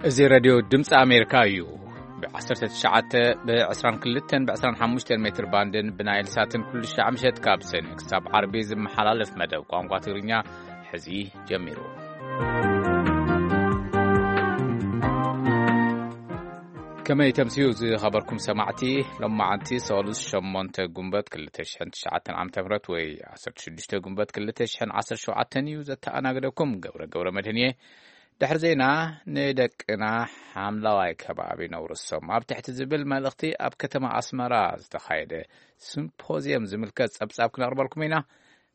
እዚ ሬድዮ ድምፂ ኣሜሪካ እዩ። ብ19፣ ብ22፣ ብ25 ሜትር ባንድን ብናይል ሳትን ኩሉ ሻዕ ምሸት ካብ ሰኒ ክሳብ ዓርቢ ዝመሓላለፍ መደብ ቋንቋ ትግርኛ ሕዚ ጀሚሩ። ከመይ ተምስዩ ዝኸበርኩም ሰማዕቲ? ሎማዓንቲ ሰሉስ ሸሞንተ ጉንበት ክልተ ሽሕን ትሽዓተን ዓመተ ምህረት ወይ ዓሰርተ ሽዱሽተ ጉንበት ክልተ ሽሕን ዓሰርተ ሸውዓተን እዩ። ዘተኣናግደኩም ገብረ ገብረ መድህን እየ። ድሕሪ ዜና፣ ንደቅና ሓምለዋይ ከባቢ ነውርሶም ኣብ ትሕቲ ዝብል መልእኽቲ ኣብ ከተማ ኣስመራ ዝተኻየደ ሲምፖዝየም ዝምልከት ጸብጻብ ክነቕርበልኩም ኢና።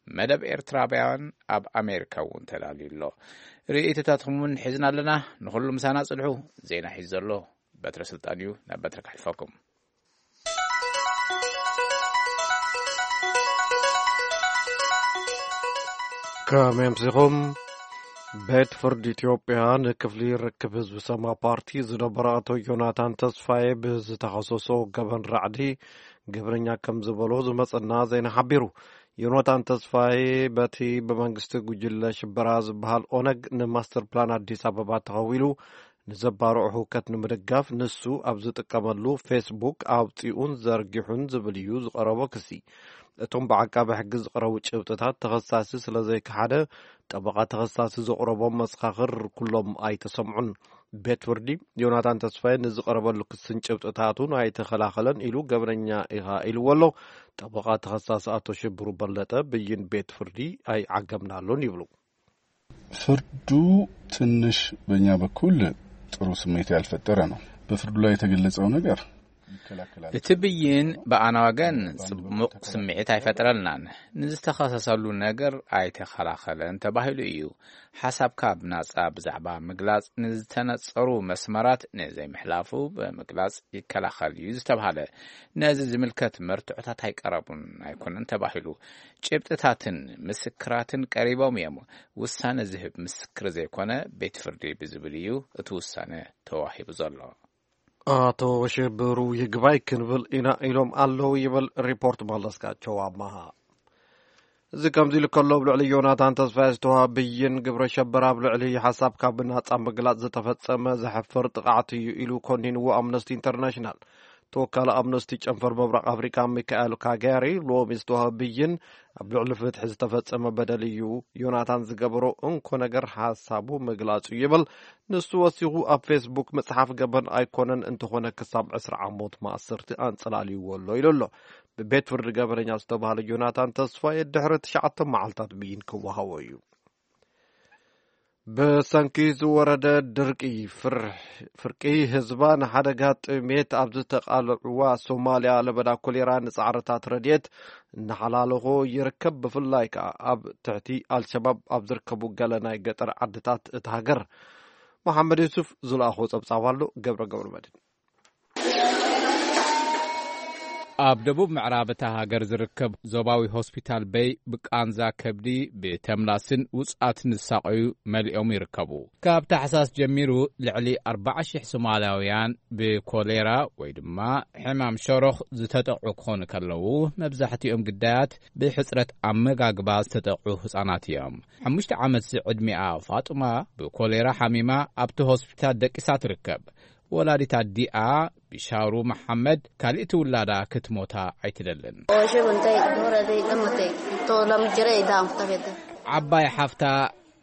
መደብ ኤርትራውያን ኣብ ኣሜሪካ እውን ተዳልዩ ኣሎ። ርእይቶታትኩም እውን ሒዝና ኣለና። ንኹሉ ምሳና ጽንሑ። ዜና ሒዙ ዘሎ በትረ ስልጣን እዩ። ናብ በትረ ከሕልፈኩም። ከመይ ኣምሲኹም? ቤት ፍርዲ ኢትዮጵያ ንክፍሊ ርክብ ህዝቢ ሰማ ፓርቲ ዝነበረ ኣቶ ዮናታን ተስፋዬ ብዝተኸሰሶ ገበን ራዕዲ ገበነኛ ከም ዝበሎ ዝመጸና ዜና ሓቢሩ። ዮናታን ተስፋዬ በቲ ብመንግስቲ ጉጅለ ሽበራ ዝበሃል ኦነግ ንማስተር ፕላን ኣዲስ ኣበባ ተኸዊሉ ንዘባርዖ ህውከት ንምድጋፍ ንሱ ኣብ ዝጥቀመሉ ፌስቡክ ኣውጺኡን ዘርጊሑን ዝብል እዩ ዝቐረቦ ክሲ። እቶም ብዓቃቢ ሕጊ ዝቐረቡ ጭብጥታት ተኸሳሲ ስለ ዘይከሓደ፣ ጠበቓ ተኸሳሲ ዘቕረቦም መሰኻኽር ኩሎም ኣይተሰምዑን። ቤት ፍርዲ ዮናታን ተስፋዬ ንዝቐረበሉ ክስን ጭብጥታቱን ኣይተኸላኸለን ኢሉ ገበነኛ ኢኻ ኢልዎ ኣሎ። ጠበቓ ተኸሳሲ ኣቶ ሽብሩ በለጠ ብይን ቤት ፍርዲ ኣይዓገምናሉን ይብሉ። ፍርዱ ትንሽ በእኛ በኩል ጥሩ ስሜት ያልፈጠረ ነው። በፍርዱ ላይ የተገለጸው ነገር ይከላከላል። እቲ ብይን ብኣና ወገን ጽቡቕ ስምዒት ኣይፈጠረልናን። ንዝተኸሰሰሉ ነገር ኣይተኸላኸለን ተባሂሉ እዩ። ሓሳብካ ብናጻ ብዛዕባ ምግላጽ ንዝተነጸሩ መስመራት ንዘይምሕላፉ ብምግላጽ ይከላኸል እዩ ዝተባሃለ። ነዚ ዝምልከት መርትዖታት ኣይቀረቡን ኣይኮነን ተባሂሉ። ጭብጥታትን ምስክራትን ቀሪቦም እዮም። ውሳነ ዝህብ ምስክር ዘይኮነ ቤት ፍርዲ ብዝብል እዩ እቲ ውሳነ ተዋሂቡ ዘሎ። ኣቶ ሽብሩ ይግባይ ክንብል ኢና ኢሎም ኣለዉ ይብል ሪፖርት መለስካቸው ኣማሃ። እዚ ከምዚ ኢሉ ከሎ፣ ኣብ ልዕሊ ዮናታን ተስፋዬ ዝተዋሃበ ብይን ግብረ ሸበራ ኣብ ልዕሊ ሓሳብካ ብናጻ ምግላጽ ዝተፈጸመ ዘሕፍር ጥቕዓት እዩ ኢሉ ኮኒንዎ ኣምነስቲ ኢንተርናሽናል። ተወካሊ ኣምነስቲ ጨንፈር ምብራቕ ኣፍሪካ ሚካኤል ካጋሪ ሎሚ ዝተዋሃበ ብይን ኣብ ልዕሊ ፍትሒ ዝተፈጸመ በደል እዩ። ዮናታን ዝገበሮ እንኮ ነገር ሓሳቡ ምግላጹ ይብል። ንሱ ወሲኹ ኣብ ፌስቡክ መጽሓፍ ገበን ኣይኮነን፣ እንተኾነ ክሳብ ዕስራ ዓሞት ማእሰርቲ ኣንጸላልይዎ ኣሎ ኢሉ ኣሎ። ብቤት ፍርዲ ገበነኛ ዝተባህለ ዮናታን ተስፋዬ ድሕሪ ትሽዓተ መዓልታት ብይን ክወሃቦ እዩ። ብሰንኪ ዝወረደ ድርቂ ፍር-፣ ፍርቂ ህዝባ ንሓደጋ ጥሜት ኣብ ዝተቓልዕዋ ሶማልያ ለበዳ ኮሌራ ንጻዕርታት ረድኤት እናሓላለኾ ይርከብ። ብፍላይ ከኣ ኣብ ትሕቲ ኣልሸባብ ኣብ ዝርከቡ ገለ ናይ ገጠር ዓድታት እታ ሃገር። መሓመድ ዩሱፍ ዝለኣኾ ጸብጻብ ኣሎ። ገብረ ገብረ መድህን። ኣብ ደቡብ ምዕራብ እታ ሃገር ዝርከብ ዞባዊ ሆስፒታል በይ ብቃንዛ ከብዲ፣ ብተምላስን ውጽኣትን ዝሳቐዩ መሊኦም ይርከቡ። ካብ ታሕሳስ ጀሚሩ ልዕሊ ኣርባዓ ሽሕ ሶማላውያን ብኮሌራ ወይ ድማ ሕማም ሸሮኽ ዝተጠቕዑ ክኾኑ ከለዉ፣ መብዛሕትኦም ግዳያት ብሕጽረት ኣመጋግባ ዝተጠቕዑ ህጻናት እዮም። ሓሙሽተ ዓመት ዝዕድሚኣ ፋጡማ ብኮሌራ ሓሚማ ኣብቲ ሆስፒታል ደቂሳ ትርከብ። ወላዲት ኣዲኣ ቢሻሩ መሓመድ ካልእቲ ውላዳ ክትሞታ ኣይትደልን። Ooshe buntee dura dee dhammatee too lama jira idaan kutafete. ዓባይ ሓፍታ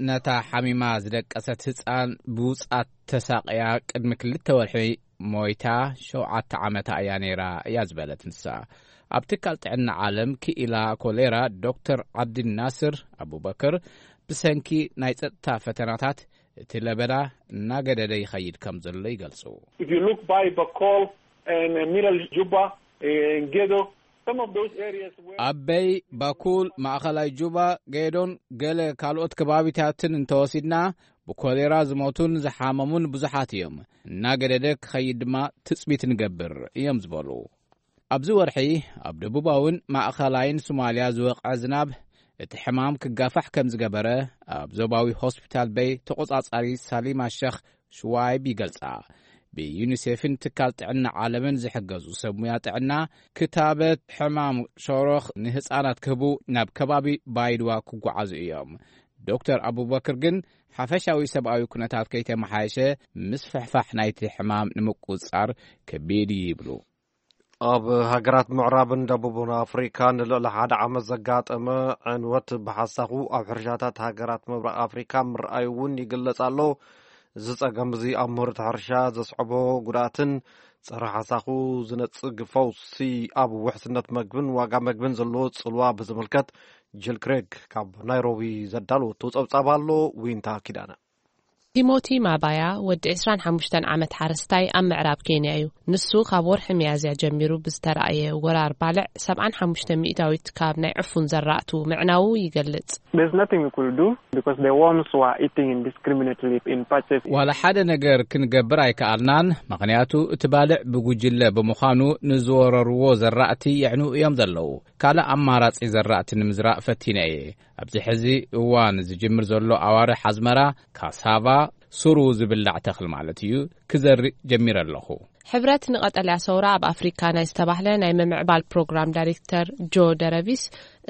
ነታ ሓሚማ ዝደቀሰት ህጻን ብውጽኣት ተሳቕያ ቅድሚ ክልተ ወርሒ ሞይታ፣ ሸውዓተ ዓመታ እያ ነይራ እያ ዝበለት ንሳ። ኣብ ትካል ጥዕና ዓለም ክኢላ ኮሌራ ዶክተር ዓብድናስር ኣቡበክር፣ ብሰንኪ ናይ ጸጥታ ፈተናታት እቲ ለበዳ እናገደደ ይኸይድ ከም ዘሎ ይገልጹ። If you look by Bakol and, uh, Middle Juba, uh, in Gedo, some of those areas where ኣበይ፣ ባኩል፣ ማእኸላይ ጁባ፣ ጌዶን ገለ ካልኦት ከባቢታትን እንተወሲድና፣ ብኮሌራ ዝሞቱን ዝሓመሙን ብዙሓት እዮም። እናገደደ ክኸይድ ድማ ትጽቢት ንገብር እዮም ዝበሉ። ኣብዚ ወርሒ ኣብ ደቡባውን ማእኸላይን ሶማልያ ዝወቕዐ ዝናብ እቲ ሕማም ክጋፋሕ ከም ዝገበረ ኣብ ዞባዊ ሆስፒታል በይ ተቖጻጻሪ ሳሊማ ሸኽ ሽዋይብ ይገልጻ። ብዩኒሴፍን ትካል ጥዕና ዓለምን ዝሕገዙ ሰብ ሙያ ጥዕና፣ ክታበት ሕማም ሸሮኽ ንህጻናት ክህቡ ናብ ከባቢ ባይድዋ ክጓዓዙ እዮም። ዶክተር ኣቡበክር ግን ሓፈሻዊ ሰብኣዊ ኩነታት ከይተመሓየሸ ምስፍሕፋሕ ናይቲ ሕማም ንምቁጽጻር ከቢድ እዩ ይብሉ። ኣብ ሃገራት ምዕራብን ደቡብን ኣፍሪካ ንልዕሊ ሓደ ዓመት ዘጋጠመ ዕንወት ብሓሳኹ ኣብ ሕርሻታት ሃገራት ምብራቕ ኣፍሪካ ምርኣዩ እውን ይግለጽ ኣሎ። እዚ ጸገም እዚ ኣብ ምህርቲ ሕርሻ ዘስዕቦ ጉድኣትን ጸረ ሓሳኹ ዝነጽግ ፈውሲ ኣብ ውሕስነት መግብን ዋጋ መግብን ዘለዎ ጽልዋ ብዝምልከት ጅል ክሬግ ካብ ናይሮቢ ዘዳለወቶ ጸብጻብ ኣሎ። ዊንታ ኪዳነ። ቲሞቲ ማባያ ወዲ ዕስራን ሓሙሽተን ዓመት ሓረስታይ ኣብ ምዕራብ ኬንያ እዩ። ንሱ ካብ ወርሒ ሚያዝያ ጀሚሩ ብዝተራእየ ወራር ባልዕ ሰብዓን ሓሙሽተ ሚእታዊት ካብ ናይ ዕፉን ዘራእቱ ምዕናዉ ይገልጽ። There's nothing we could do because the worms were eating indiscriminately in patches. ዋላ ሓደ ነገር ክንገብር ኣይከኣልናን፣ ምኽንያቱ እቲ ባልዕ ብጉጅለ ብምዃኑ ንዝወረርዎ ዘራእቲ የዕንዉ እዮም ዘለዉ። ካልእ ኣማራጺ ዘራእቲ ንምዝራእ ፈቲነ እየ። ኣብዚ ሕዚ እዋን ዝጅምር ዘሎ ኣዋርሕ ኣዝመራ፣ ካሳቫ፣ ሱሩ ዝብላዕ ተኽሊ ማለት እዩ፣ ክዘርእ ጀሚረ ኣለኹ። ሕብረት ንቐጠልያ ሰውራ ኣብ ኣፍሪካ ናይ ዝተባህለ ናይ ምምዕባል ፕሮግራም ዳይሬክተር ጆ ደረቪስ፣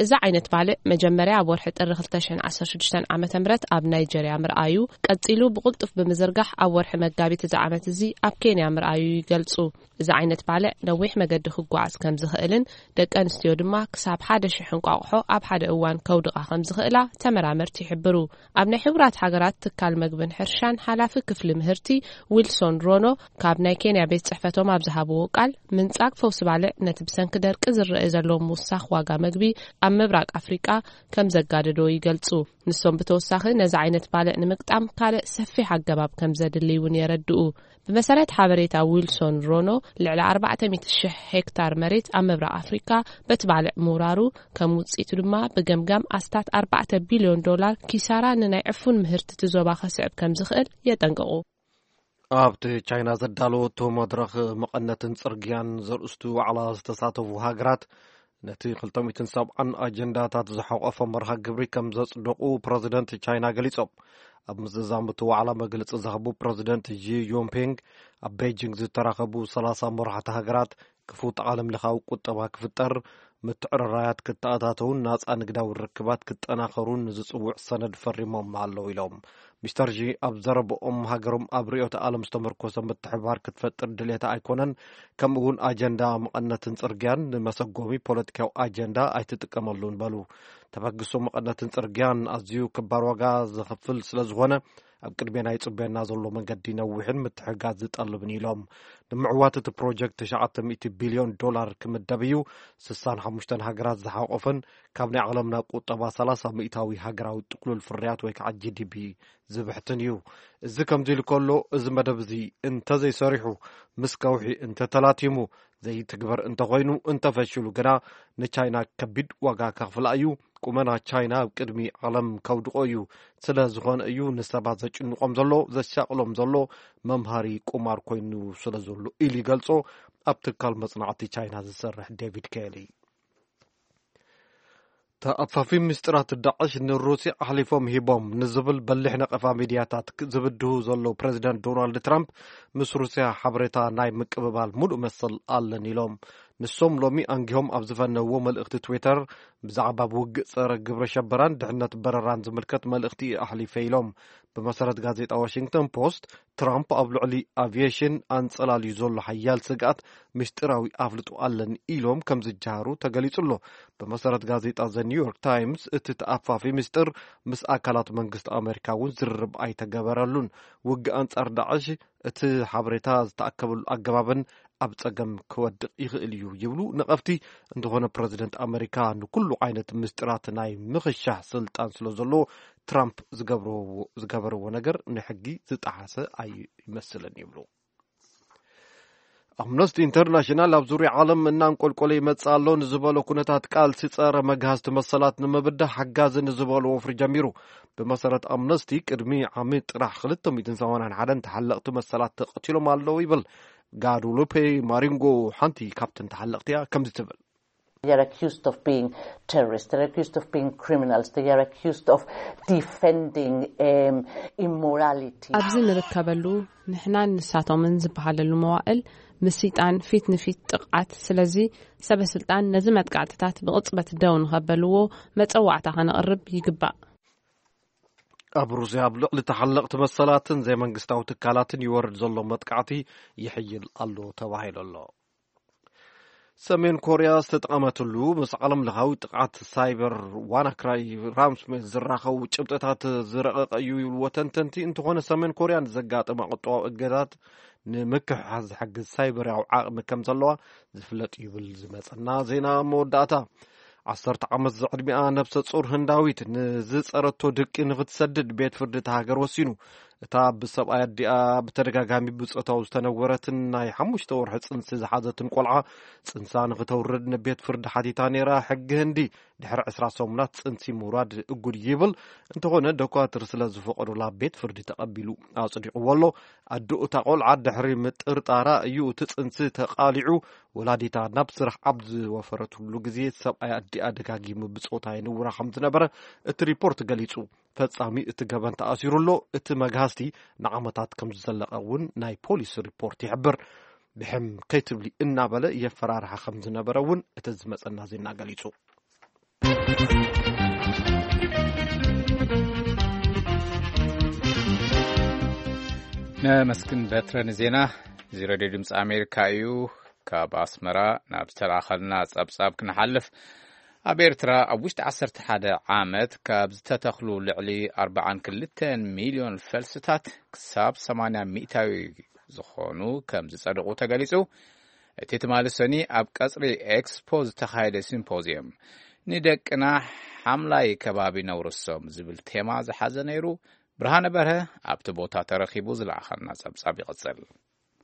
እዚ ዓይነት ባልዕ መጀመርያ ኣብ ወርሒ ጥሪ ክልተ ሽሕን ዓሰርተ ሽዱሽተን ዓመተ ምህረት ኣብ ናይጀርያ ምርኣዩ፣ ቀጺሉ ብቕልጡፍ ብምዝርጋሕ ኣብ ወርሒ መጋቢት እዚ ዓመት እዚ ኣብ ኬንያ ምርኣዩ ይገልጹ። እዚ ዓይነት ባልዕ ነዊሕ መገዲ ክጓዓዝ ከም ዝኽእልን ደቂ ኣንስትዮ ድማ ክሳብ ሓደ ሽሕ እንቋቑሖ ኣብ ሓደ እዋን ከውድቓ ከም ዝኽእላ ተመራመርቲ ይሕብሩ። ኣብ ናይ ሕቡራት ሃገራት ትካል መግብን ሕርሻን ሓላፊ ክፍሊ ምህርቲ ዊልሶን ሮኖ ካብ ናይ ኬንያ ቤት ጽሕፈቶም ኣብ ዝሃብዎ ቃል፣ ምንጻግ ፈውሲ ባልዕ ነቲ ብሰንኪ ደርቂ ዝረአ ዘሎ ምውሳኽ ዋጋ መግቢ ኣብ ምብራቕ ኣፍሪቃ ከም ዘጋደዶ ይገልጹ። ንሶም ብተወሳኺ ነዚ ዓይነት ባልዕ ንምግጣም ካልእ ሰፊሕ ኣገባብ ከም ዘድሊ እውን የረድኡ። ብመሰረት ሓበሬታ ዊልሶን ሮኖ፣ ልዕሊ ኣርባዕተ ሚእቲ ሽሕ ሄክታር መሬት ኣብ ምብራቕ ኣፍሪካ በቲ ባልዕ ምውራሩ፣ ከም ውፅኢቱ ድማ ብገምጋም ኣስታት ኣርባዕተ ቢልዮን ዶላር ኪሳራ ንናይ ዕፉን ምህርቲ እቲ ዞባ ከስዕብ ከም ዝኽእል የጠንቅቑ። ኣብቲ ቻይና ዘዳለወቶ መድረኽ መቐነትን ጽርግያን ዘርእስቱ ዋዕላ ዝተሳተፉ ሃገራት፣ ነቲ ክልተ ሚእትን ሰብዓን ኣጀንዳታት ዝሓቖፈ መርሃ ግብሪ ከም ዘጽደቑ ፕረዚደንት ቻይና ገሊጾም። ኣብ ምዝዛም እቲ ዋዕላ መግለጺ ዝሃቡ ፕረዚደንት ዢ ጂንፒንግ፣ ኣብ ቤጂንግ ዝተራኸቡ ሰላሳ መራሕቲ ሃገራት ክፉት ዓለምለኻዊ ቁጠባ ክፍጠር፣ ምትዕርራያት ክተኣታተውን ናጻ ንግዳዊ ርክባት ክጠናኸሩን ዝጽውዕ ሰነድ ፈሪሞም ኣለዉ ኢሎም። ሚስተር ዢ ኣብ ዘረብኦም፣ ሃገሮም ኣብ ርእዮተ ዓለም ዝተመርኮሰ ምትሕብባር ክትፈጥር ድሌታ ኣይኮነን፣ ከምኡ እውን ኣጀንዳ መቐነትን ጽርግያን ንመሰጎሚ ፖለቲካዊ ኣጀንዳ ኣይትጥቀመሉን በሉ። ተበግሶ መቐነትን ጽርግያን ኣዝዩ ክባር ዋጋ ዘኽፍል ስለ ዝኾነ፣ ኣብ ቅድሜና ይጽበየና ዘሎ መንገዲ ነዊሕን ምትሕግጋዝ ዝጠልብን ኢሎም። ንምዕዋት እቲ ፕሮጀክት ትሽዓተ ሚእቲ ቢልዮን ዶላር ክምደብ እዩ። ስሳን ሓሙሽተን ሃገራት ዝሓቆፈን ካብ ናይ ዓለምና ቁጠባ ሰላሳ ሚእታዊ ሃገራዊ ጥቅሉል ፍርያት ወይ ከዓ ጂ ዲ ፒ ዝብሕትን እዩ። እዚ ከምዚ ኢሉ ከሎ፣ እዚ መደብ እዚ እንተዘይሰሪሑ፣ ምስ ከውሒ እንተተላቲሙ፣ ዘይትግበር እንተኾይኑ፣ እንተፈሽሉ ግና ንቻይና ከቢድ ዋጋ ከኽፍላ እዩ። ቁመና ቻይና ኣብ ቅድሚ ዓለም ከውድቆ እዩ። ስለ ዝኾነ እዩ ንሰባት ዘጭንቆም ዘሎ፣ ዘሻቅሎም ዘሎ፣ መምሃሪ ቁማር ኮይኑ ስለ ዘሎ ኢሉ ይገልጾ ኣብ ትካል መጽናዕቲ ቻይና ዝሰርሕ ዴቪድ ኬሊ። ተኣፋፊ ምስጢራት ዳዕሽ ንሩስያ ኣሕሊፎም ሂቦም ንዝብል በሊሕ ነቐፋ ሚድያታት ክ-፣ ዝብድሁ ዘለዉ ፕረዚደንት ዶናልድ ትራምፕ፣ ምስ ሩስያ ሓበሬታ ናይ ምቅብባል ሙሉእ መሰል ኣለን ኢሎም። ንሶም ሎሚ ኣንጊሆም ኣብ ዝፈነውዎ መልእኽቲ ትዊተር፣ ብዛዕባ ውግእ ጸረ ግብረ ሸበራን ድሕነት በረራን ዝምልከት መልእኽቲ ኣሕሊፈ ኢሎም። ብመሰረት ጋዜጣ ዋሽንግተን ፖስት፣ ትራምፕ ኣብ ልዕሊ ኣቪየሽን ኣንጸላልዩ ዘሎ ሓያል ስግኣት ምስጢራዊ ኣፍልጦ ኣለኒ ኢሎም ከም ዝጀሃሩ ተገሊጹ ኣሎ። ብመሰረት ጋዜጣ ዘ ኒውዮርክ ታይምስ፣ እቲ ተኣፋፊ ምስጢር ምስ ኣካላት መንግስቲ ኣመሪካ እውን ዝርርብ ኣይተገበረሉን። ውግእ ኣንጻር ዳዕሽ እቲ ሓበሬታ ዝተኣከበሉ ኣገባብን ኣብ ጸገም ክወድቕ ይኽእል እዩ ይብሉ ነቐፍቲ። እንተኾነ ፕረዚደንት ኣመሪካ ንኩሉ ዓይነት ምስጢራት ናይ ምኽሻሕ ስልጣን ስለ ዘለዎ፣ ትራምፕ ዝገብርዎ-፣ ዝገበርዎ ነገር ንሕጊ ዝጠሓሰ ኣይመስልን ይብሉ። ኣምነስቲ ኢንተርናሽናል ኣብ ዙርያ ዓለም እናንቆልቆለ ይመጽእ ኣሎ ንዝበሎ ኩነታት ቃልሲ ጸረ መግሃስቲ መሰላት ንምብዳህ ሓጋዚ ንዝበሎ ወፍሪ ጀሚሩ። ብመሰረት ኣምነስቲ፣ ቅድሚ ዓሚ ጥራሕ ክልተ ሚእትን ሰማንያን ሓደን ተሓለቕቲ መሰላት ተቐቲሎም ኣለዉ ይብል። ጋዱሉፔ ማሪንጎ ሓንቲ ካብተን ተሓለቕቲ እያ፣ ከምዚ ትብል። They are accused of being terrorists. They are accused of being criminals. They are accused of defending, um, immorality. ኣብዚ ንርከበሉ፣ ንሕናን ንሳቶምን ዝበሃለሉ መዋእል ምስይጣን ፊት ንፊት ጥቕዓት። ስለዚ ሰበ ስልጣን ነዚ መጥቃዕትታት ብቕጽበት ደው ንኸበልዎ መጸዋዕታ ከነቕርብ ይግባእ። ኣብ ሩስያ ኣብ ልዕሊ ተሓለቕቲ መሰላትን ዘይመንግስታዊ ትካላትን ይወርድ ዘሎ መጥቃዕቲ ይሕይል ኣሎ ተባሂሉ ኣሎ። ሰሜን ኮርያ ዝተጠቐመትሉ ምስ ዓለም ለኻዊ ጥቕዓት ሳይበር ዋናክራይ ራምስሜት ዝራኸቡ ጭብጥታት ዝረቐቐ እዩ ይብልዎ ተንተንቲ። እንተኾነ ሰሜን ኮርያ ንዘጋጠማ ቁጠባዊ እገዳት ንምክሕሓስ ዝሕግዝ ሳይበራዊ ዓቕሚ ከም ዘለዋ ዝፍለጥ ይብል ዝመጸና ዜና መወዳእታ። ዓሰርተ ዓመት ዝዕድሚኣ ነብሰ ጹር ህንዳዊት ንዝጸረቶ ድቂ ንኽትሰድድ ቤት ፍርዲ እታ ሃገር ወሲኑ። እታ ብሰብኣይ ኣዲኣ ብተደጋጋሚ ብጾታዊ ዝተነወረትን ናይ ሓሙሽተ ወርሒ ጽንሲ ዝሓዘትን ቆልዓ ጽንሳ ንኽተውርድ ንቤት ፍርዲ ሓቲታ ነይራ። ሕጊ ህንዲ ድሕሪ ዕስራ ሰሙናት ጽንሲ ምውራድ እጉድ ይብል። እንተኾነ ደኳትር ስለ ዝፈቐዱላ ቤት ፍርዲ ተቐቢሉ ኣጽዲቑዎ ኣሎ። ኣዶ እታ ቆልዓ ድሕሪ ምጥርጣራ እዩ እቲ ጽንሲ ተቓሊዑ። ወላዲታ ናብ ስራሕ ኣብ ዝወፈረትሉ ግዜ ሰብኣይ ኣዲኣ ደጋጊሙ ብጾታ ይንውራ ከም ዝነበረ እቲ ሪፖርት ገሊጹ። ፈጻሚ እቲ ገበን ተኣሲሩ ኣሎ። እቲ መግሃስቲ ንዓመታት ከም ዝዘለቐ እውን ናይ ፖሊስ ሪፖርት ይሕብር። ብሕም ከይትብሊ እናበለ የፈራርሓ ከም ዝነበረ እውን እቲ ዝመጸና ዜና ገሊጹ። ነመስግን በትረ ንዜና። እዚ ሬድዮ ድምፂ ኣሜሪካ እዩ። ካብ ኣስመራ ናብ ዝተላኸልና ጸብጻብ ክንሓልፍ፣ ኣብ ኤርትራ ኣብ ውሽጢ ዓሰርተ ሓደ ዓመት ካብ ዝተተኽሉ ልዕሊ ኣርባዓን ክልተን ሚልዮን ፈልስታት ክሳብ ሰማንያ ሚእታዊ ዝኾኑ ከም ዝጸድቑ ተገሊጹ። እቲ ትማሊ ሰኒ ኣብ ቀጽሪ ኤክስፖ ዝተኻየደ ሲምፖዚየም፣ ንደቅና ሓምላይ ከባቢ ነውርሶም ዝብል ቴማ ዝሓዘ ነይሩ። ብርሃነ በርሀ ኣብቲ ቦታ ተረኺቡ ዝለኣኸልና ጸብጻብ ይቕጽል።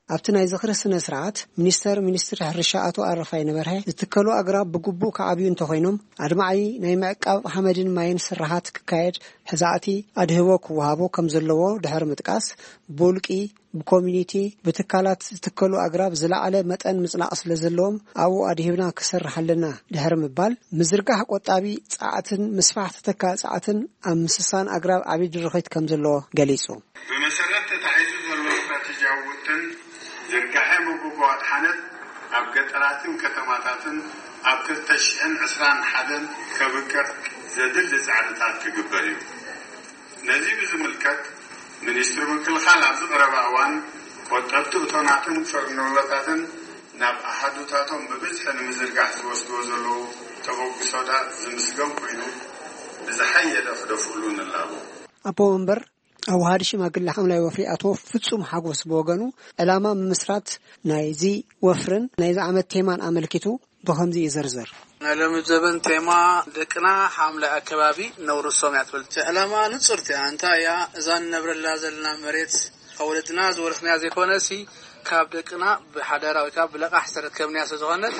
ኣብቲ ናይ ዝኽሪ ስነ ስርዓት፣ ሚኒስተር ሚኒስትሪ ሕርሻ ኣቶ ኣረፋይነ በርሀ፣ ዝትከሉ ኣግራብ ብግቡእ ክዓብዩ እንተኾይኖም፣ ኣድማዒ ናይ ምዕቃብ ሓመድን ማይን ስራሓት ክካየድ ሕዛእቲ ኣድህቦ ክወሃቦ ከም ዘለዎ ድሕሪ ምጥቃስ፣ ብውልቂ፣ ብኮሚኒቲ፣ ብትካላት ዝትከሉ ኣግራብ ዝለዓለ መጠን ምጽናቕ ስለ ዘለዎም፣ ኣብኡ ኣድሂብና ክሰርሕ ኣለና ድሕሪ ምባል፣ ምዝርጋሕ ቆጣቢ ጸዓትን ምስፋሕ ተተካኢ ጸዓትን ኣብ ምስሳን ኣግራብ ዓቢ ድርኺት ከም ዘለዎ ገሊጹ። ብመሰረት ተታሒዙ ዘሎ ስትራቴጂያዊ ውጥን፣ ዝርጋሐ መጎጎ ኣድሓነት ኣብ ገጠራትን ከተማታትን ኣብ ክልተ ሽሕን ዕስራን ሓደን ከብቅዕ ዘድሊ ጻዕርታት ክግበር እዩ። ነዚ ብዝምልከት፣ ሚኒስትሪ ምክልኻል ኣብዚ ቀረባ እዋን ቆጠብቲ እቶናትን ፍርኖሎታትን ናብ ኣሃዱታቶም ብብዝሒ ንምዝርጋሕ ዝወስድዎ ዘለዉ ተበግሶታት ዝምስገን ኮይኑ፣ ብዝሓየለ ክደፍእሉ ንላቦ። ኣቦ መንበር ኣዋሃዲ ሽማግለ ሓምላይ ወፍሪ ኣቶ ፍጹም ሓጎስ ብወገኑ፣ ዕላማ ምምስራት ናይዚ ወፍርን ናይዚ ዓመት ቴማን ኣመልኪቱ ብኸምዚ ይዝርዝር። ናይ ሎሚ ዘበን ቴማ ደቅና ሓምላይ ኣከባቢ ነውርሶም እያ ትብል። እቲ ዕላማ ንጽርቲ እያ። እንታይ እያ? እዛ ንነብረላ ዘለና መሬት ካብ ወለድና ዝወረስናያ ዘይኮነሲ፣ ካብ ደቅና ብሓደራ ወይ ከዓ ብለቓሕ ዝተረከብናያ ስለ ዝኾነት፣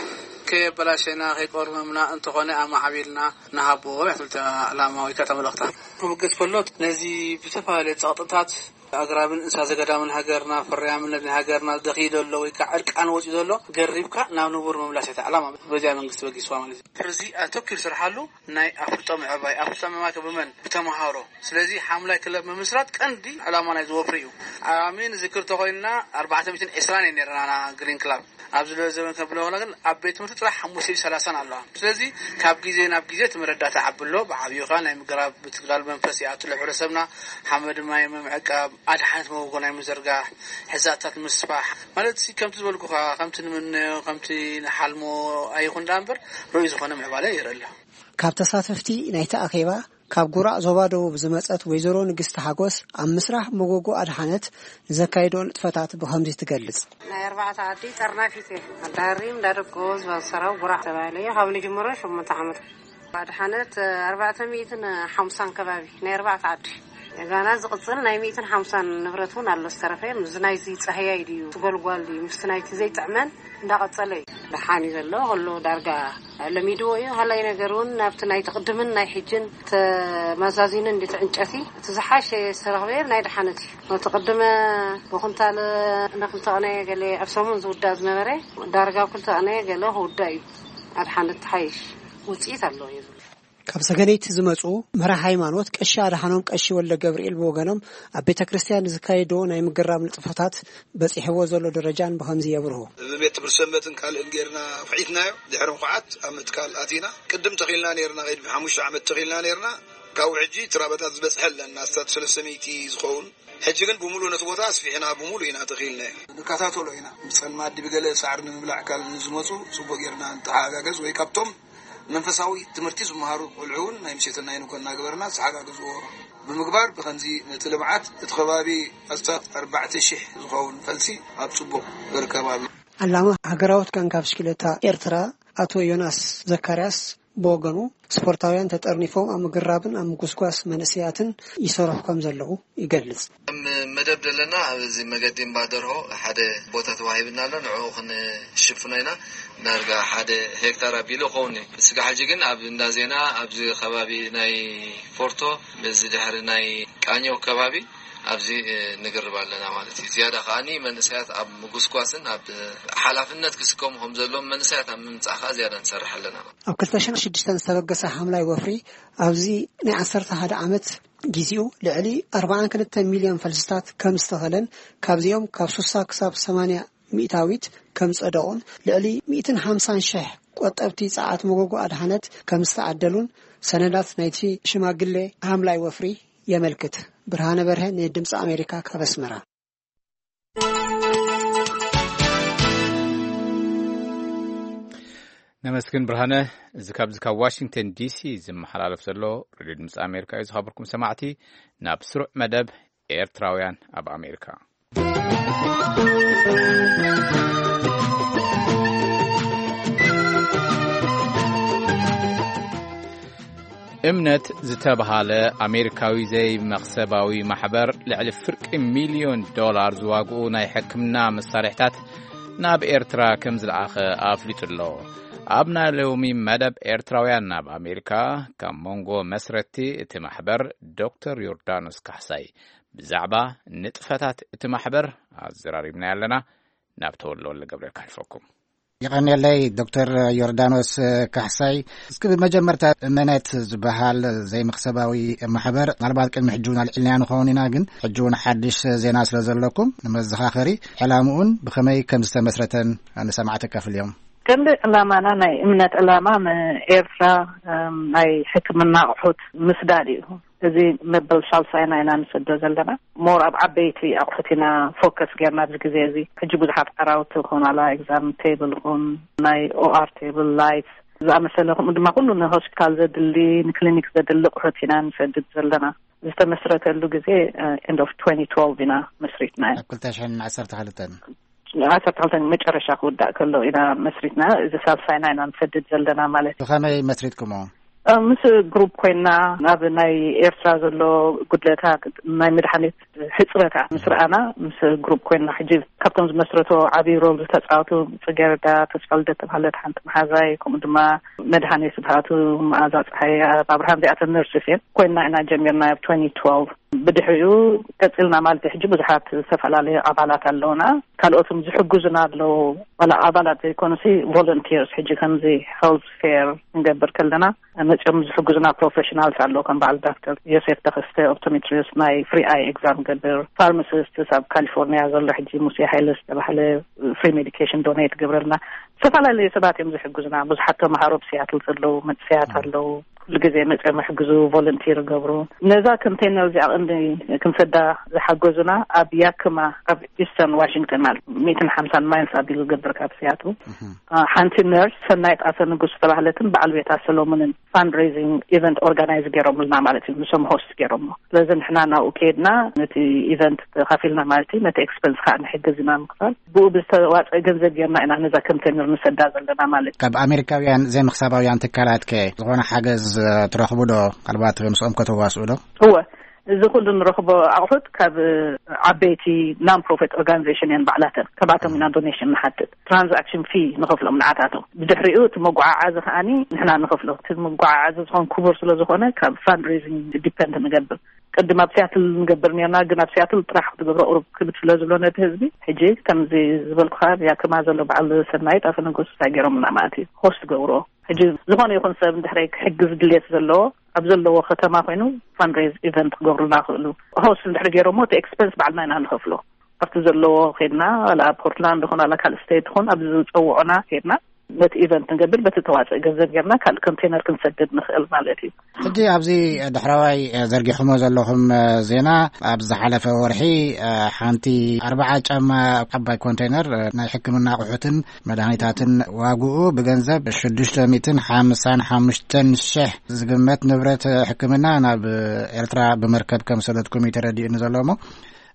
ከየበላሸና ከይቆርመምና እንተኾነ ኣማዕቢልና ንሃቦ እያ ትብል እታ ዕላማ ወይ ከዓ እታ መልእኽታ። ክብገስ ከሎ ነዚ ብዝተፈላለየ ጸቕጥታት ኣግራብን እንስሳ ዘገዳምን ሃገርና፣ ፍርያምነት ናይ ሃገርና ደኺዩ ዘሎ ወይ ከዓ ዕርቃን ወፂኡ ዘሎ ገሪብካ ናብ ንቡር ምምላስ እያ እታ ዕላማ። በዚኣ መንግስቲ በጊስዋ ማለት እዩ። እዚ ኣተኪሩ ስርሓሉ ናይ ኣፍልጦ ምዕባይ፣ ኣፍልጦ ምዕባይ ብመን? ብተምሃሮ። ስለዚ ሓምላይ ክለብ ምምስራት ቀንዲ ዕላማ ናይ ዝወፍሪ እዩ። ኣሜን ዝክር ተኮይንና ኣርባዕተ ሚእትን ዕስራን እየ ነርና ግሪን ክላብ። ኣብዚ ሎሚ ዘበን ከብሎ ከለና ግን ኣብ ቤት ትምህርቲ ጥራሕ ሓሙሽተ ሚእትን ሰላሳን ኣለዋ። ስለዚ ካብ ግዜ ናብ ግዜ እቲ መረዳእታ ዓቢ ኣሎ። ብዓብዩ ከኣ ናይ ምግራብ ብትግላል መንፈስ ይኣቱ ኣሎ። ሕብረተሰብና ሓመድ ማይ ምምዕቃብ፣ ኣድሓነት መጎጎ ናይ ምዝርጋሕ፣ ሕዛእታት ምስፋሕ ማለት ሲ ከምቲ ዝበልኩኻ፣ ከምቲ ንምነዮ፣ ከምቲ ንሓልሞ ኣይኹን ደኣ እምበር ርኡይ ዝኾነ ምዕባለ ይርኢ ኣሎ። ካብ ተሳተፍቲ ናይቲ ኣኼባ ካብ ጉራዕ ዞባ ደቡብ ዝመጸት ወይዘሮ ንግስቲ ሓጎስ፣ ኣብ ምስራሕ መጎጎ ኣድሓነት ንዘካይዶ ንጥፈታት ብኸምዚ ትገልጽ። ናይ ኣርባዕተ ዓዲ ጠርናፊት እየ። ኣዳሃሪም እንዳደቆ ዝባሰራው ጉራዕ ተባሂለ እየ። ካብ ንጅምሮ ሸሞንተ ዓመት። ኣድሓነት ኣርባዕተ ሚእትን ሓምሳን ከባቢ ናይ ኣርባዕተ ዓዲ። ገና ዝቕጽል ናይ ሚእትን ሓምሳን ንብረት እውን ኣሎ ዝተረፈ። እዚ ናይዚ ጻህያይ ድዩ፣ ትጎልጓል ድዩ፣ ምስቲ ናይቲ ዘይጥዕመን እንዳቐጸለ እዩ። ደሓን እዩ ዘሎ፣ ከሎ ዳርጋ ለሚድዎ እዩ። ሃላይ ነገር እውን ናብቲ ናይ ትቕድምን ናይ ሕጅን ተመዛዚኑ እንዲ እቲ ዕንጨቲ እቲ ዝሓሸ ዝተረኽበ ናይ ደሓነት እዩ። እቲ ቅድመ ብኩንታል ንክልተ ቅነ ገለ ኣብ ሰሙን ዝውዳእ ዝነበረ ዳርጋ ኣብ ክልተ ቅነ ገለ ክውዳእ እዩ። ኣድሓነት ተሓይሽ ውፅኢት ኣለዎ እዩ ዝብል። ካብ ሰገነይቲ ዝመፁ መራሕ ሃይማኖት ቀሺ ኣድሓኖም ቀሺ ወልደ ገብርኤል ብወገኖም ኣብ ቤተ ክርስቲያን ዝካየዶ ናይ ምግራም ንጥፈታት በፂሕዎ ዘሎ ደረጃን ብኸምዚ የብርሁ። ብቤት ትምህርቲ ሰንበትን ካልእን ጌርና ኹዒትናዮ። ድሕሪ ምኹዓት ኣብ ምትካል ኣቲና። ቅድም ተኺልና ኔርና፣ ቅድሚ ሓሙሽተ ዓመት ተኺልና ኔርና። ካብኡ ሕጂ ትራበታት ዝበፅሐ ኣለና፣ ኣስታት ሰለስተ ሚእቲ ዝኸውን። ሕጂ ግን ብምሉእ ነቲ ቦታ ኣስፊሕና፣ ብምሉእ ኢና ተኺልናዮ። ንከታተሎ ኢና። ምስ ጸልማት ድቢ ገለ ሳዕሪ ንምብላዕ ካብ ዝመጹ ጽቡቕ ጌርና ንተሓጋገዝ፣ ወይ ካብቶም መንፈሳዊ ትምህርቲ ዝመሃሩ ቆልዑ እውን ናይ ምሸትን ናይ ንኮን እናገበርና ዝሓጋግዝዎ ብምግባር፣ ብኸምዚ ነቲ ልምዓት እቲ ከባቢ ኣስታት ኣርባዕተ ሽሕ ዝኸውን ፈልሲ ኣብ ጽቡቕ እርከብ ኣሎ። ዓላማ ሃገራዊት ጋንታ ብሽክለታ ኤርትራ ኣቶ ዮናስ ዘካርያስ ብወገኑ፣ ስፖርታውያን ተጠርኒፎም ኣብ ምግራብን ኣብ ምጉስጓስ መንእሰያትን ይሰርሑ ከም ዘለዉ ይገልጽ። ከም መደብ ዘለና ኣብዚ መገዲ እምባ ደርሆ ሓደ ቦታ ተዋሂብና ኣሎ። ንዕኡ ክንሽፍኖ ኢና። ዳርጋ ሓደ ሄክታር ኣቢሉ ይኸውን እዩ። ስጋ ሕጂ ግን ኣብ እንዳ ዜና ኣብዚ ከባቢ ናይ ፎርቶ፣ እዚ ድሕሪ ናይ ቃኘው ከባቢ ኣብዚ፣ እ፣ ንግርብ ኣለና ማለት እዩ። ዝያዳ ከኣኒ መንእሰያት ኣብ ምጉስጓስን ኣብ፣ እ፣ ሓላፍነት ክስከሙ ከም ዘለዎም መንእሰያት ኣብ ምምጻእ ከኣ ዝያዳ ንሰርሕ ኣለና። ኣብ ክልተ ሽሕን ሽዱሽተን ዝተበገሰ ሓምላይ ወፍሪ ኣብዚ ናይ ዓሰርተ ሓደ ዓመት ጊዜኡ ልዕሊ ኣርባዓን ክልተ ሚልዮን ፈልስታት ከም ዝተኸለን ካብዚኦም ካብ ሱሳ ክሳብ ሰማንያ ሚእታዊት ከም ጸደቑን ልዕሊ ሚእትን ሓምሳን ሽሕ ቆጠብቲ ጸዓት መጎጎ ኣድሓነት ከም ዝተዓደሉን ሰነዳት ናይቲ ሽማግሌ ሓምላይ ወፍሪ የመልክት። ብርሃነ በርሀ ንድምፂ ኣሜሪካ ካብ ኣስመራ። ነመስግን ብርሃነ። እዚ ካብዚ ካብ ዋሽንግተን ዲሲ ዝመሓላለፍ ዘሎ ሬድዮ ድምፂ ኣሜሪካ እዩ። ዝኸበርኩም ሰማዕቲ፣ ናብ ስሩዕ መደብ ኤርትራውያን ኣብ ኣሜሪካ። እምነት ዝተብሃለ ኣሜሪካዊ ዘይመኽሰባዊ ማሕበር ልዕሊ ፍርቂ ሚልዮን ዶላር ዝዋግኡ ናይ ሕክምና መሳርሕታት ናብ ኤርትራ ከም ዝለኣኸ ኣፍሊጡ ኣሎ። ኣብ ናይ ሎሚ መደብ ኤርትራውያን ናብ ኣሜሪካ፣ ካብ መንጎ መስረቲ እቲ ማሕበር ዶክተር ዮርዳኖስ ካሕሳይ ብዛዕባ ንጥፈታት እቲ ማሕበር ኣዘራሪብና ኣለና። ናብ ተወልደ ወልደ ገብርኤል ከሕልፈኩም። የቐንየለይ ዶክተር ዮርዳኖስ ካሕሳይ። እስኪ ብመጀመርታ እመነት ዝበሃል ዘይመኽሰባዊ ማሕበር፣ ምናልባት ቅድሚ ሕጂ እውን ኣልዒልናዮ ንኸውን ኢና፣ ግን ሕጂ እውን ሓድሽ ዜና ስለ ዘለኩም ንመዘኻኸሪ፣ ዕላምኡን ብኸመይ ከም ዝተመስረተን ንሰማዕቲ ከፍልዮም። ቀንዲ ዕላማና፣ ናይ እምነት ዕላማ፣ ንኤርትራ፣ እም፣ ናይ ሕክምና ኣቑሑት ምስዳድ እዩ። እዚ መበል ሳልሳይና ኢና ንሰዶ ዘለና። ሞር ኣብ ዓበይቲ ኣቑሑት ኢና ፎከስ ጌርና ኣብዚ ግዜ እዚ። ሕጂ ብዙሓት ዓራውቲ ይኹን፣ ዋላ ኤግዛም ቴብል ይኹን፣ ናይ ኦኣር ቴብል፣ ላይት ዝኣመሰለ፣ ከምኡ ድማ ኩሉ ንሆስፒታል ዘድሊ፣ ንክሊኒክ ዘድሊ ኣቑሑት ኢና ንሰድድ ዘለና። ዝተመስረተሉ ግዜ፣ ኤንድ ኦፍ ትወንቲ ትወልቭ ኢና መስሪትናዮ። ኣብ ክልተ ሽሕን ዓሰርተ ክልተን። ዓሰርተ ክልተ መጨረሻ ክውዳእ ከሎ ኢና መስሪትና። እዚ ሳልሳይና ኢና ንሰድድ ዘለና ማለት እዩ። ብኸመይ መስሪትኩሞ? እ፣ ምስ ግሩፕ ኮይና ናብ ናይ ኤርትራ ዘሎ ጉድለታት፣ ናይ መድሓኒት ሕፅረታት ምስ ረኣና፣ ምስ ግሩፕ ኮይና፣ ሕጂ ካብቶም ዝመስረቶ ዓብዪ ሮል ዝተፃወቱ ጽጌረዳ ተስፋልደት ተባሃለት ሓንቲ መሓዛይ፣ ከምኡ ድማ መድሃኔ ስብሃቱ፣ መኣዛ ፀሓይ፣ ኣብርሃም፣ እዚኣተን ነርስስ እየን። ኮይና ኢና ጀሚርና ኣብ ትወንቲ ትወልቭ። ብድሕሪኡ ቀፂልና ማለት እዩ። ሕጂ ብዙሓት ዝተፈላለዩ ኣባላት ኣለውና። ካልኦት እውን ዝሕግዙና ኣለዉ። ዋላ ኣባላት ዘይኮኑሲ፣ ቮለንቲርስ፣ ሕጂ ከምዚ ሄልዝ ፌር ክንገብር ከለና መፅኦም ዝሕግዙና ፕሮፌሽናልስ ኣለዉ፣ ከም በዓል ዳክተር ዮሴፍ ተኸስተ፣ ኦፕቶሜትሪስት፣ ናይ ፍሪ ኣይ ኤግዛም ገብር፣ ፋርማሲስት ኣብ ካሊፎርኒያ ዘሎ ሕጂ ሙሴ ሃይለ ዝተባህለ ፍሪ ሜዲኬሽን ዶኔት ገብረልና። ዝተፈላለዩ ሰባት እዮም ዝሕግዙና። ብዙሓት ተምሃሮ ኣብ ሲያትል ዘለዉ መንእሰያት ኣለዉ። ኩሉ ግዜ መፅኦም ይሕግዙ፣ ቮለንቲር ይገብሩ። ነዛ ኮንቴነር እዚኣ ቀንዲ ክንሰዳ ዝሓገዙና ኣብ ያክማ፣ ኣብ ኢስተርን ዋሽንግተን፣ ማለት ሚእትን ሓምሳን ማይልስ ኣቢሉ ዝገብር ካብ ሲያትል። እህ። አ፣ ሓንቲ ነርስ ሰናይት ኣሰ ንጉስ ዝተባህለትን በዓል ቤታ ሰሎሞንን ፋንድሬዚንግ ኢቨንት ኦርጋናይዝ ገይሮምልና ማለት እዩ። ንሶም ሆስት ገይሮሞ። ስለዚ ንሕና ናብኡ ከይድና ነቲ ኢቨንት ተኻፊልና ማለት እዩ። ነቲ ኤክስፐንስ ከዓ ንሕግዝ ኢና ምክፋል። ብኡ ብዝተዋፀ ገንዘብ ጌርና ኢና ነዛ ኮንቴነር ንሰዳ ዘለና ማለት እዩ። ካብ ኣሜሪካውያን ዘይመኽሰባውያን ትካላት ከ ዝኾነ ሓገዝ፣ እ፣ ትረኽቡ ዶ? ካልባት ምስኦም ከተዋስኡ ዶ? እወ፣ እዚ ኩሉ ንረኽቦ ኣቑሑት ካብ ዓበይቲ ናን ፕሮፊት ኦርጋናይዜሽን እየን ባዕላተን። ከባቶም ኢና ዶኔሽን ንሓትት። ትራንዛክሽን ፊ ንኸፍሎም ንዓታቶም። ብድሕሪኡ እቲ መጓዓዓዚ ከኣኒ ንሕና ንኸፍሎ። እቲ መጓዓዓዚ ዝኾን ክቡር ስለ ዝኾነ ካብ ፋንድሬዚንግ ዲፐንድ ንገብር። ቅድም ኣብ ሲያትል ንገብር ነርና፣ ግን ኣብ ሲያትል ጥራሕ ክትገብሮ ቁሩብ ክብድ ስለ ዝብሎ ነቲ ህዝቢ፣ ሕጂ ከምዚ ዝበልኩኻ ኣብ ያክማ ዘሎ በዓል ሰናይት ኣፈ ንጉስ እንታይ ገይሮምልና ማለት እዩ፣ ሆስት ገብርዎ። ሕጂ ዝኾነ ይኹን ሰብ እንድሕሪ ክሕግዝ ድልየት ዘለዎ ኣብ ዘለዎ ከተማ ኮይኑ ፋንድሬዝ ኢቨንት ክገብሩልና ይኽእሉ። ሆስት እንድሕሪ ገይሮሞ እቲ ኤክስፐንስ ባዕልና ኢና ንኸፍሎ። ኣብቲ ዘለዎ ኬድና፣ ዋላ ኣብ ፖርትላንድ ይኹን ዋላ ካልእ ስቴት ይኹን፣ ኣብዚ ዝፀውዑና ኬድና ነቲ ኢቨንት ንገብር፣ በቲ ተዋፅእ ገንዘብ ጌርና ካልእ ኮንቴነር ክንሰድድ ንኽእል ማለት እዩ። ሕጂ ኣብዚ ዳሕረዋይ ዘርጊሕሞ ዘለኹም ዜና፣ ኣብ ዝሓለፈ ወርሒ ሓንቲ ኣርባዓ ጫማ ዓባይ ኮንቴነር ናይ ሕክምና ኣቑሑትን መድሃኒታትን ዋግኡ ብገንዘብ ሽዱሽተ ሚእትን ሓምሳን ሓሙሽተን ሽሕ ዝግመት ንብረት ሕክምና ናብ ኤርትራ ብመርከብ ከም ሰደድኩም እዩ ተረዲኡኒ ዘሎ። እሞ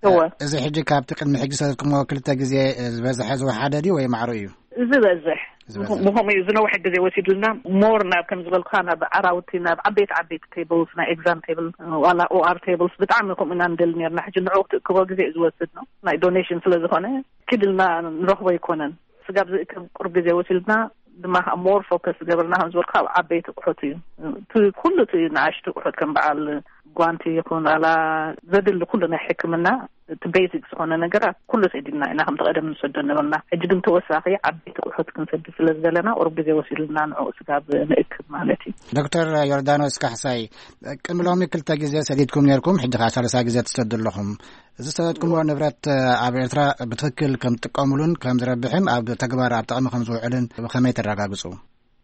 እወ። እዚ ሕጂ ካብቲ ቅድሚ ሕጂ ሰደድኩሞ ክልተ ግዜ ዝበዝሐ ዝወሓደ ድዩ ወይ ማዕሩ እዩ? ዝበዝሕ። ዝበዝሕ። ብኸ-፣ ብኸምኡ እዩ ዝነውሐ ግዜ ወሲዱልና። ሞር ናብ ከም ዝበልኩኻ ናብ ዓራውቲ፣ ናብ ዓበይቲ ዓበይቲ ቴብልስ፣ ናይ ኤግዛም ቴብል፣ ዋላ ኦኣር ቴብልስ ብጣዕሚ ከምኡ ኢና ንደሊ ነርና። ሕጂ ንዕኡ ክትእክቦ ግዜ እዩ ዝወስድ ነው። ናይ ዶኔሽን ስለ ዝኾነ ክድልና ንረኽቦ ኣይኮነን። ስጋብ ዝእክብ ቁሩብ ግዜ ወሲድና ድማ ከዓ ሞር ፎከስ ዝገበርና ከም ዝበልኩ ኣብ ዓበይቲ ኣቑሑት እዩ። እቲ ኩሉ እቲ ንኣሽቱ ኣቑሑት ከም በዓል ጓንቲ ይኹን ዋላ ዘድሊ ኩሉ ናይ ሕክምና እቲ ቤዚክ ዝኾነ ነገራት ኩሉ ሰዲድና ኢና ከምቲ ቀደም ንሰዶ ነበርና። ሕጂ ግን ተወሳኺ ዓበይቲ ኣቑሑት ክንሰድድ ስለ ዝደለና ቁሩብ ግዜ ወሲድልና ንዕኡ ስጋብ ንእክብ ማለት እዩ። ዶክተር ዮርዳኖስ ካሕሳይ፣ ቅድሚ ሎሚ ክልተ ግዜ ሰዲድኩም ነርኩም፣ ሕጂ ከዓ ሳልሳ ግዜ ትሰዱ ኣለኹም። እዚ ዝሰደድኩምዎ ንብረት ኣብ ኤርትራ ብትኽክል ከም ትጥቀሙሉን ከም ዝረብሕን ኣብ ተግባር ኣብ ጥቕሚ ከም ዝውዕልን ብኸመይ ተረጋግጹ?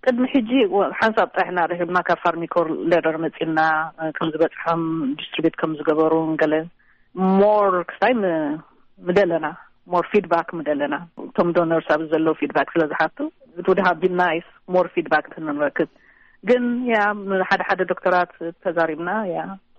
ቅድሚ ሕጂ ወ-፣ ሓንሳብ ጥራሕ ኢና ረኺብና፣ ካብ ፋርሚኮር ሌደር መጺና፣ እ፣ ከም ዝበጽሖም ዲስትሪቢዩት ከም ዝገበሩ ገለ ሞር ክሳይ ም-፣ ምደለና፣ ሞር ፊድባክ ምደለና። እቶም ዶነርስ ኣብ ዘለዉ ፊድባክ ስለ ዝሓቱ፣ it would have been nice ሞር ፊድባክ እንተንረክብ። ግን ያ፣ ም-፣ ሓደ ሓደ ዶክተራት ተዛሪብና፣ ያ፣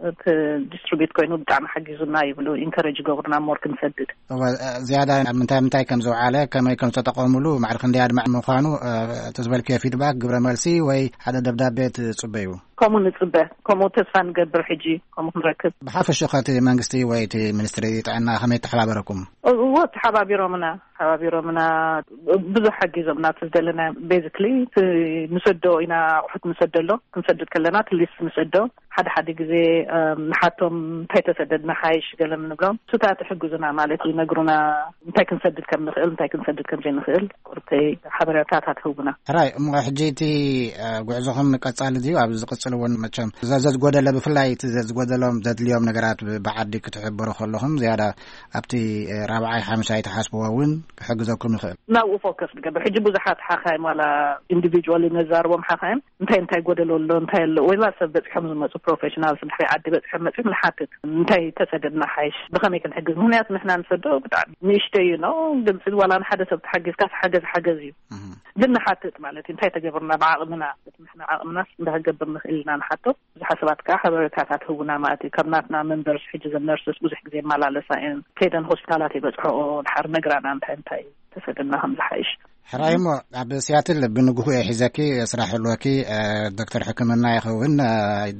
እቲ ዲስትሪቢዩት ኮይኑ ብጣዕሚ ሓጊዙና ይብሉ፣ ኢንከሬጅ ይገብሩና ሞር ክንሰድድ። እወ፣ እ፣ ዝያዳ ኣብ ምንታይ ምንታይ ከም ዝውዓለ፣ ከመይ ከም ዝተጠቐሙሉ፣ ማዕረ ክንደይ ኣድማዒ ምዃኑ፣ እ፣ እቲ ዝበልክዮ ፊድባክ፣ ግብረ መልሲ ወይ ሓደ ደብዳቤ ትጽበዩ? ከምኡ ንጽበ፣ ከምኡ ተስፋ ንገብር። ሕጂ ከምኡ ክንረክብ። ብሓፈሽኡ ኸ እቲ መንግስቲ ወይ እቲ ሚኒስትሪ ጥዕና ከመይ ተሓባበረኩም? እወ፣ ተሓባቢሮምና፣ ተሓባቢሮምና፣ ብዙሕ ሓጊዞምና። እቲ ዝደለና ቤዚክሊ እቲ ንሰዶ ኢና፣ ኣቑሑት ንሰደሎም፣ ክንሰድድ ከለና እቲ ሊስት ንሰዶ። ሓደ ሓደ ግዜ፣ እም፣ ንሓቶም እንታይ ተሰደድና ሓይሽ ገለ ንብሎም። እሱታት ይሕግዙና ማለት እዩ፣ ይነግሩና እንታይ ክንሰድድ ከም ንኽእል፣ እንታይ ክንሰድድ ከም ዘይንኽእል ቁርተይ ሓበሬታታት ህቡና። ሕራይ፣ እሞ ሕጂ እቲ፣ እ፣ ጉዕዞኹም ቀጻሊ ድዩ? ኣብ ዝቕጽል እውን መቸም ዘ-፣ ዘዝጎደለ፣ ብፍላይ እቲ ዘዝጎደሎም ዘድልዮም ነገራት ብ-፣ ብዓዲ ክትሕብሩ ከለኹም ዝያዳ ኣብቲ፣ እ፣ ራብዓይ ሓምሻይ ትሓስብዎ እውን ክሕግዘኩም ይኽእል። ናብኡ ፎከስ ንገብር። ሕጂ ብዙሓት ሓኻይም ዋላ ኢንዲቪጁዋሊ ነዛርቦም ሓኻይም እንታይ እንታይ ጎደሎ ኣሎ፣ እንታይ ኣሎ፣ ወላ ሰብ በጺሖም ዝመጹ ፕሮፌሽናልስ ድሕሪ ዓዲ በጺሖም መጺኦም ንሓትት፣ እንታይ ተሰደድና ሓይሽ፣ ብኸመይ ክንሕግዝ? ምኽንያቱ ንሕና ንሰዶ ብጣዕሚ ንእሽተይ እዩ ነው፣ ግልጺ ዋላ ንሓደ ሰብ ተሓጊዝካ ተሓገዝ ሓገዝ እዩ። እህ። ግን ንሓትት ማለት እዩ፣ እንታይ ተገብርና ብዓቕምና፣ ንሕና ዓቕምናስ እንታይ ክገብር ንኽእል ኢና ንሓቶ። ብዙሓት ሰባት ከዓ ሓበሬታታት ህቡና ማለት እዩ። ካብ ናትና መንበርስ ሕጂ ዘን ነርስስ ብዙሕ ግዜ ይመላለሳ እየን። ከይደን ሆስፒታላት ይበጽሖኦ፣ ድሓር ነግራና እንታይ እንታይ ተሰደድና ከም ዝሓይሽ። ሕራይ እሞ ኣብ ሲያትል ብንግሁ እየ ሒዘኪ፣ ስራሕ ህልወኪ፣ እ፣ ዶክተር ሕክምና ይኸውን፣ እ፣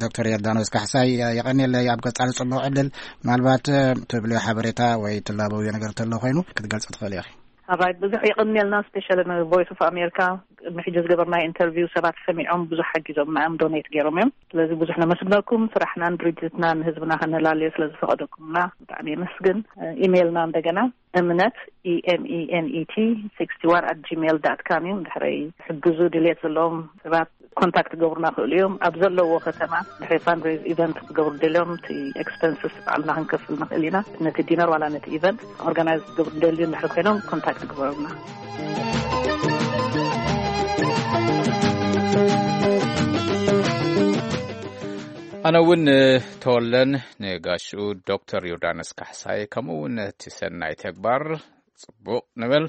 ዶክተር ዮርዳኖስ ካሕሳይ፣ እ፣ የቐንየለይ ኣብ ቀጻሊ ጽቡቕ ዕድል። ምናልባት፣ እ፣ ትብልዮ ሓበሬታ ወይ ትላበውዮ ነገር እንተሎ ኮይኑ ክትገልጽ ትኽእል ኢኺ። ኣባይ ብዙሕ የቐንየልና፣ ስፔሻሊ ን ቮይስ ኦፍ ኣሜሪካ ቅድሚ ሕጂ ዝገበርና ኢንተርቪው ሰባት ሰሚዖም ብዙሕ ሓጊዞምና እዮም፣ ዶኔት ገይሮም እዮም። ስለዚ ብዙሕ ነመስግነኩም፣ ስራሕናን ድርጅትናን ህዝብና ከነላልዮ ስለ ዝፈቐደኩምና ብጣዕሚ የመስግን። ኢሜይልና እንደገና እምነት፣ E M E N E T sixty one at gmail dot com እዩ። ድሕረይ ሕግዙ ድልየት ዘለዎም ሰባት ኮንታክት ክገብሩና ክእሉ እዮም። ኣብ ዘለዎ ከተማ ድሕሪ ፋንድሬዝ ኢቨንት ክገብሩ ደልዮም እቲ ኤክስፐንስስ ባዕልና ክንከፍል ንኽእል ኢና። ነቲ ዲነር ዋላ ነቲ ኢቨንት ኦርጋናይዝ ክገብሩ ደልዩ እንድሕር ኮይኖም ኮንታክት ግበሩና። ኣነ እውን ንተወለን ንጋሽኡ ዶክተር ዮርዳኖስ ካሕሳይ ከምኡ እውን ነቲ ሰናይ ተግባር ጽቡቕ ንብል።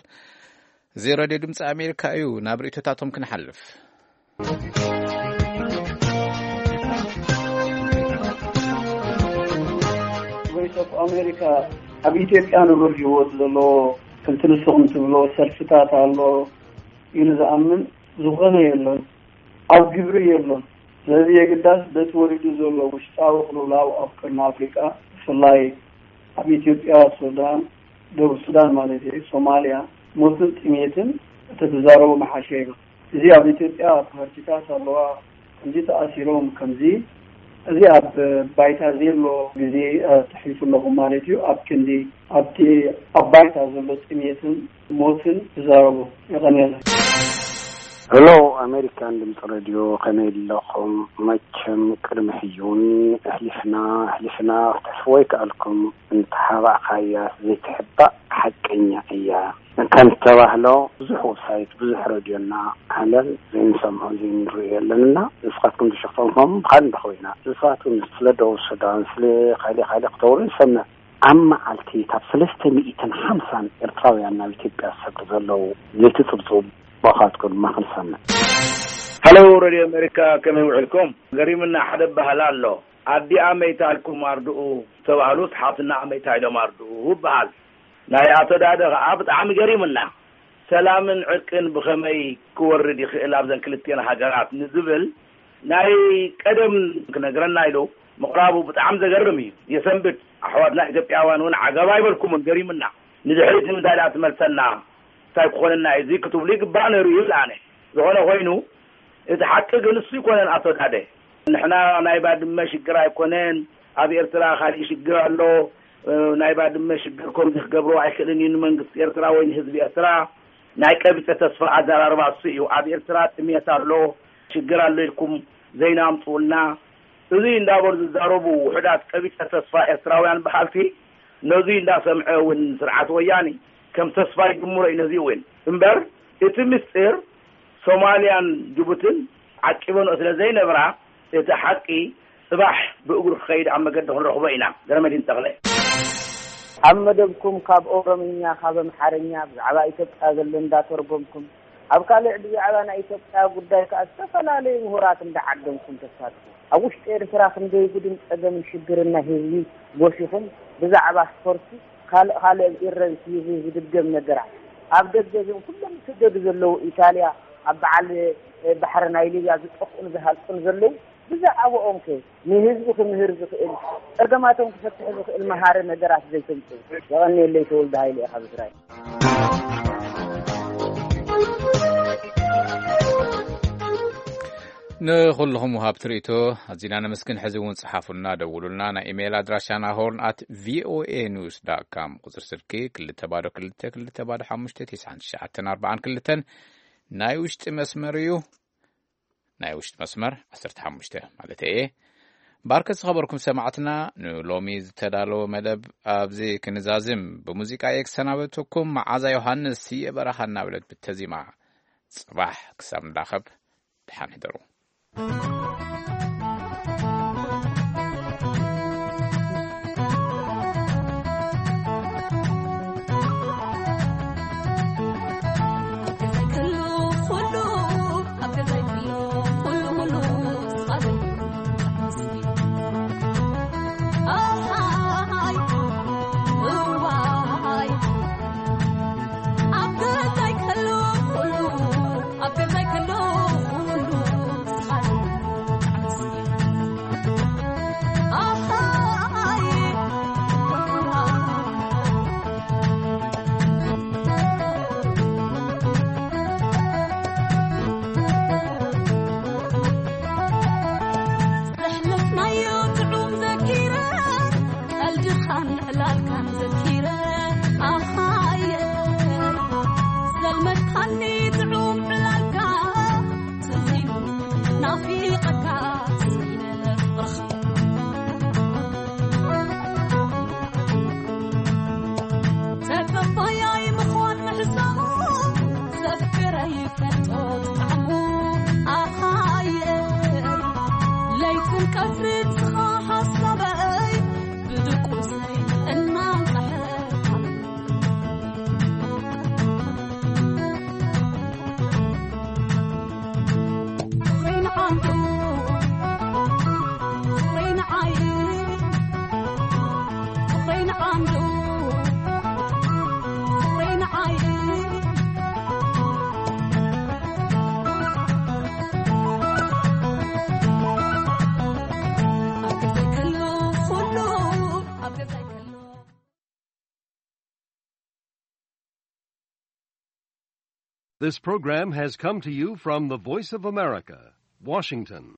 እዚ ሬድዮ ድምፂ ኣሜሪካ እዩ። ናብ ርእይቶታቶም ክንሓልፍ። ቮይስ ኦፍ ኣሜሪካ ኣብ ኢትዮጵያ ንቡር ህይወት ዘለዎ ከምቲ ንስኹም ትብሎ ሰልፍታት ኣሎ ኢሉ ዝኣምን ዝኾነ የሎን። ኣብ ግብሪ የሎን። ስለዚ የግዳስ በቲ ወሪዱ ዘሎ ውሽጣዊ ቅልውላው ኣብ ቀርኒ ኣፍሪቃ፣ ብፍላይ ኣብ ኢትዮጵያ፣ ሱዳን፣ ደቡብ ሱዳን ማለት እዩ፣ ሶማልያ፣ ሞትን ጥሜትን እተተዛረቡ መሓሸ ይብል። እዚ ኣብ ኢትዮጵያ ፓርቲታት ኣለዋ፣ ከምዚ ተኣሲሮም፣ ከምዚ፣ እዚ ኣብ ባይታ ዘሎ ግዜ፣ እ፣ ተሕሊፉ ኣለኹም ማለት እዩ። ኣብ ክንዲ ኣብቲ ኣብ ባይታ ዘሎ ጥሜትን ሞትን ትዛረቡ። የቐንየለይ። ሄሎ፣ ኣሜሪካን ድምፂ ሬድዮ፣ ከመይ ኣለኹም? መቸም ቅድሚ ሕጂ እውን ኣሕሊፍና፣ ኣሕሊፍና፣ ክትሕልፍዎ ኣይከኣልኩም። እንተሓባእካያ ዘይትሕባእ ሓቀኛ እያ። ከም ተባህሎ ብዙሕ ዌብሳይት፣ ብዙሕ ሬድዮና ዓለም ዘይንሰምዖ ዘይንርእዮ የለንና። ንስኻትኩም ዝሸፈንኩም ብኻል እንዳ ኮይና፣ ንስኻትኩም ስለ ደቡብ ሱዳን፣ ስለ ካሊ ካሊ ክተውሩ ንሰምዕ። ኣብ መዓልቲ ካብ ሰለስተ ሚእትን ሓምሳን ኤርትራውያን ናብ ኢትዮጵያ ዝሰዱ ዘለዉ ዘይትጽብጽቡ፣ ብኻትኩም ድማ ክንሰምዕ። ሃሎ ሬድዮ ኣሜሪካ፣ ከመይ ውዕልኩም? ገሪምና ሓደ ባህል ኣሎ። ኣዲኣ መይታ ኢልኩም ኣርድኡ ዝተባህሉስ ሓፍትና መይታ ኢሎም ኣርድኡ ይበሃል። ናይ ኣቶ ዳደ ኸዓ ብጣዕሚ ገሪምና። ሰላምን ዕርቅን ብኸመይ ክወርድ ይኽእል ኣብዘን ክልቲኤን ሃገራት ንዝብል ናይ ቀደም ክነግረና ኢሉ ምቕራቡ ብጣዕሚ ዘገርም እዩ። የሰንብድ። ኣሕዋትና ኢትዮጵያውያን እውን ዓገብ ኣይበልኩምን፣ ገሪምና። ንድሕሪት ንምንታይ ደኣ ትመልሰና? እንታይ ክኾነና እዩ እዚ ክትብሉ ይግባእ ነይሩ ይብል ኣነ። ዝኾነ ኮይኑ፣ እቲ ሓቂ ግን እሱ ኣይኮነን ኣቶ ዳደ። ንሕና ናይ ባድመ ሽግር ኣይኮነን፣ ኣብ ኤርትራ ካሊእ ሽግር ኣሎ። እ፣ ናይ ባድመ ሽግር ከምዚ ክገብሮ ኣይክእልን እዩ ንመንግስቲ ኤርትራ ወይ ንህዝቢ ኤርትራ። ናይ ቀቢጸ ተስፋ ኣዘራርባ እሱ እዩ። ኣብ ኤርትራ ጥሜት ኣሎ፣ ሽግር ኣሎ ኢልኩም ዜና ኣምጽኡልና። እዚ እንዳበሉ ዝዛረቡ ውሑዳት ቀቢጸ ተስፋ ኤርትራውያን በሃልቲ፣ ነዚ እንዳሰምዐ እውን ስርዓት ወያኔ ከም ተስፋ ይጅምሮ እዩ ነዚ እውን። እምበር እቲ ምስጢር ሶማልያን ጅቡትን ዓቂበንኦ ስለ ዘይነብራ፣ እቲ ሓቂ ጽባሕ ብእግሩ ክኸይድ ኣብ መገዲ ክንረኽቦ ኢና። ገረመዲን ተኽለ። ኣብ መደብኩም ካብ ኦሮምኛ፣ ካብ ኣምሓርኛ ብዛዕባ ኢትዮጵያ ዘሎ እንዳተርጎምኩም፣ ኣብ ካልእ ብዛዕባ ናይ ኢትዮጵያ ጉዳይ ከኣ ዝተፈላለዩ ምሁራት እንዳዓደምኩም ተሳትፉ። ኣብ ውሽጢ ኤርትራ ክንደይ ጉድን ጸገምን ሽግርን ናይ ህዝቢ ጎሲኹም፣ ብዛዕባ ስፖርቲ ካልእ ካልእ ኣብ ኢረ ቲቪ ዝድገም ነገራት። ኣብ ደገ እዞም ኩሎም ዝስደዱ ዘለዉ ኢጣልያ ኣብ በዓል ባሕሪ ናይ ሊብያ ዝጠፍኡን ዝሃልቁን ዘለዉ ብዛዕባኦም ከ ንህዝቢ ክምህር ዝኽእል ጸገማቶም ክፈትሕ ዝኽእል መሃሪ ነገራት ዘይተምጽኡ። የቐንየለይ ተወልደ ሃይለ ኢኻ ብስራይ። ንኹልኹም ወሃብቲ ርእይቶ ኣዚና ነመስግን። ሕዚ እውን ጽሓፉልና፣ ደውሉልና። ናይ ኢሜይል ኣድራሻና ሆርን ኣት ቪኦኤ ኒውስ ዳት ካም፣ ቁጽሪ ስልኪ ክልተ ባዶ ክልተ ክልተ ባዶ ሓሙሽተ ትሽዓን ትሽዓተን ኣርባዓን ክልተን። ናይ ውሽጢ መስመር እዩ። ናይ ውሽጢ መስመር ዓሰርተ ሓሙሽተ ማለት እየ። ባርከ ዝኸበርኩም ሰማዕትና፣ ንሎሚ ዝተዳለወ መደብ ኣብዚ ክንዛዝም ብሙዚቃ እየ ክሰናበተኩም። መዓዛ ዮሃንስ ስየ በረኻ እናበለት ብተዚማ። ጽባሕ ክሳብ ንራኸብ ደሓን ሕደሩ። This program has come to you from the Voice of America, Washington.